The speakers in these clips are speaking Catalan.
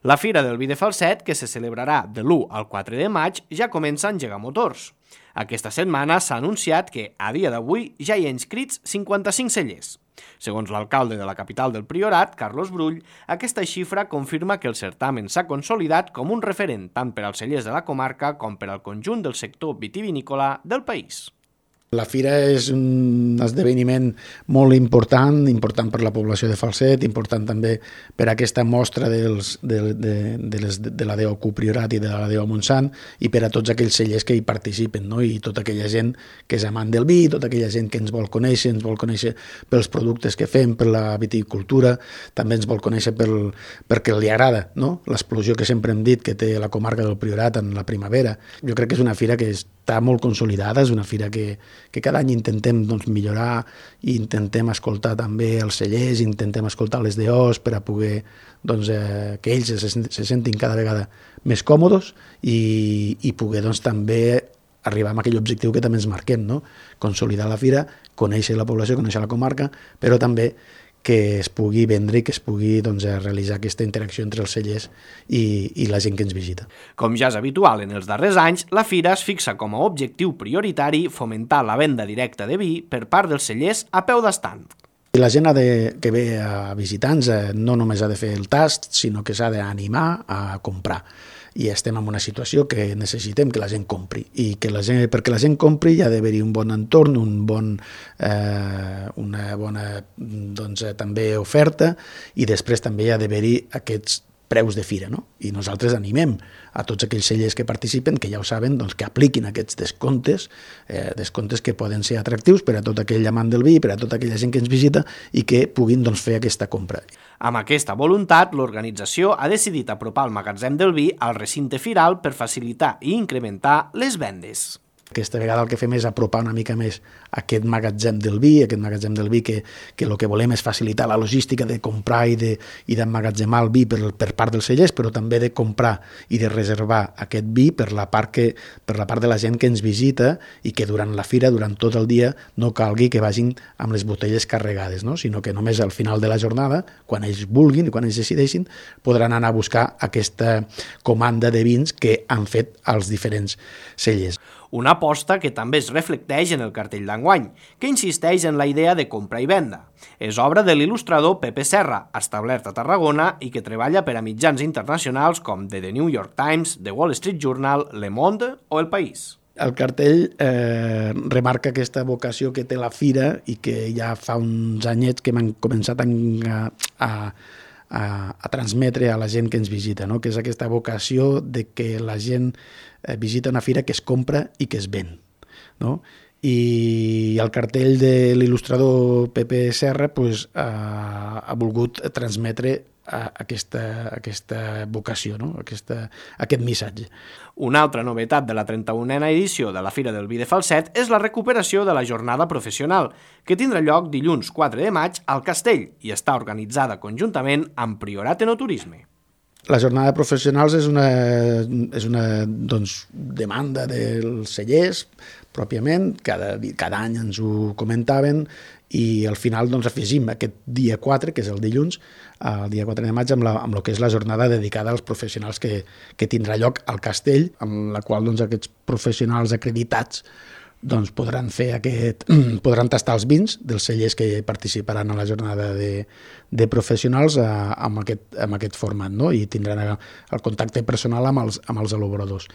La Fira del Vi de Falset, que se celebrarà de l'1 al 4 de maig, ja comença a engegar motors. Aquesta setmana s'ha anunciat que, a dia d'avui, ja hi ha inscrits 55 cellers. Segons l'alcalde de la capital del Priorat, Carlos Brull, aquesta xifra confirma que el certamen s'ha consolidat com un referent tant per als cellers de la comarca com per al conjunt del sector vitivinícola del país. La fira és un esdeveniment molt important per la població de Falset, important també per aquesta mostra de la DOQ Priorat i de la DO Montsant i per a tots aquells cellers que hi participen, no? I tota aquella gent que és amant del vi, tota aquella gent que ens vol conèixer pels productes que fem, per la viticultura, també ens vol conèixer perquè li agrada, no? L'explosió que sempre hem dit que té la comarca del Priorat en la primavera. Jo crec que és una fira que està molt consolidada, és una fira que cada any intentem millorar i intentem escoltar també els cellers, intentem escoltar les DOs per a poder que ells se sentin cada vegada més còmodes i poder també arribar a aquell objectiu que també ens marquem, no? Consolidar la fira, conèixer la població, conèixer la comarca, però també que es pugui vendre i que es pugui realitzar aquesta interacció entre els cellers i la gent que ens visita. Com ja és habitual en els darrers anys, la fira es fixa com a objectiu prioritari fomentar la venda directa de vi per part dels cellers a peu d'estand. La gent que ve a visitar-nos no només ha de fer el tast, sinó que s'ha d'animar a comprar. I estem en una situació que necessitem que la gent compri i perquè la gent compri hi ha d'haver-hi un bon entorn, una bona també oferta i després també hi ha d'haver-hi aquests preus de fira, no? I nosaltres animem a tots aquells cellers que participen, que ja ho saben, que apliquin aquests descomptes que poden ser atractius per a tot aquell amant del vi, per a tota aquella gent que ens visita i que puguin fer aquesta compra. Amb aquesta voluntat, l'organització ha decidit apropar el magatzem del vi al recinte firal per facilitar i incrementar les vendes. Aquesta vegada el que fem és apropar una mica més aquest magatzem del vi que el que volem és facilitar la logística de comprar i d'emmagatzemar el vi per part dels cellers, però també de comprar i de reservar aquest vi per la part de la gent que ens visita i que durant la fira, durant tot el dia, no calgui que vagin amb les botelles carregades, no? Sinó que només al final de la jornada, quan ells vulguin i quan ells decideixin, podran anar a buscar aquesta comanda de vins que han fet els diferents cellers. Una aposta que també es reflecteix en el cartell d'enguany, que insisteix en la idea de compra i venda. És obra de l'il·lustrador Pepe Serra, establert a Tarragona i que treballa per a mitjans internacionals com The New York Times, The Wall Street Journal, Le Monde o El País. El cartell remarca aquesta vocació que té la fira i que ja fa uns anyets que m'han començat a transmetre a la gent que ens visita, no? Que és aquesta vocació de que la gent visita una fira que es compra i que es ven, no? I el cartell de l'il·lustrador Pepe Serra ha volgut transmetre aquesta vocació, no? Aquest missatge. Una altra novetat de la 31a edició de la Fira del Vi de Falset és la recuperació de la jornada professional, que tindrà lloc dilluns 4 de maig al Castell i està organitzada conjuntament amb Priorat Enoturisme. La jornada de professionals és una demanda dels cellers, pròpiament, cada any ens ho comentaven i al final afegim aquest dia 4, que és el dilluns, el dia 4 de maig, amb el que és la jornada dedicada als professionals que tindrà lloc al Castell, amb la qual aquests professionals acreditats podran tastar els vins dels cellers que participaran a la jornada de professionals amb aquest format, no? I tindran el contacte personal amb els elaboradors.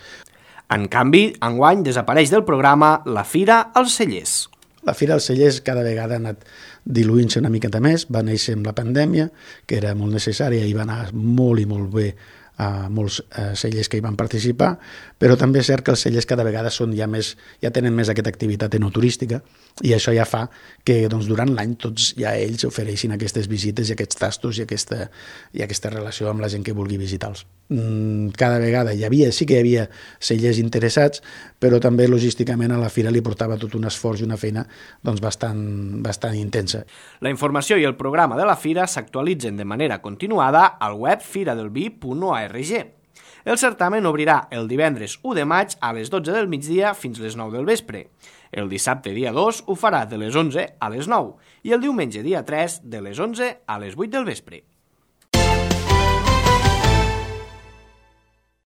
En canvi, enguany desapareix del programa la Fira als Cellers. La Fira als Cellers cada vegada ha anat diluint-se una miqueta més, va néixer amb la pandèmia, que era molt necessària i va anar molt i molt bé a molts cellers que hi van participar, però també és cert que els cellers cada vegada ja tenen més aquesta activitat enoturística i això ja fa que durant l'any tots ja ells ofereixin aquestes visites i aquests tastos i aquesta relació amb la gent que vulgui visitar-los. Cada vegada sí que hi havia cellers interessats, però també logísticament a la fira li portava tot un esforç i una feina bastant intensa. La informació i el programa de la fira s'actualitzen de manera continuada al web firadelvi.org. El certamen obrirà el divendres 1 de maig a les 12 del migdia fins les 9 del vespre. El dissabte dia 2 ho farà de les 11 a les 9 i el diumenge dia 3 de les 11 a les 8 del vespre.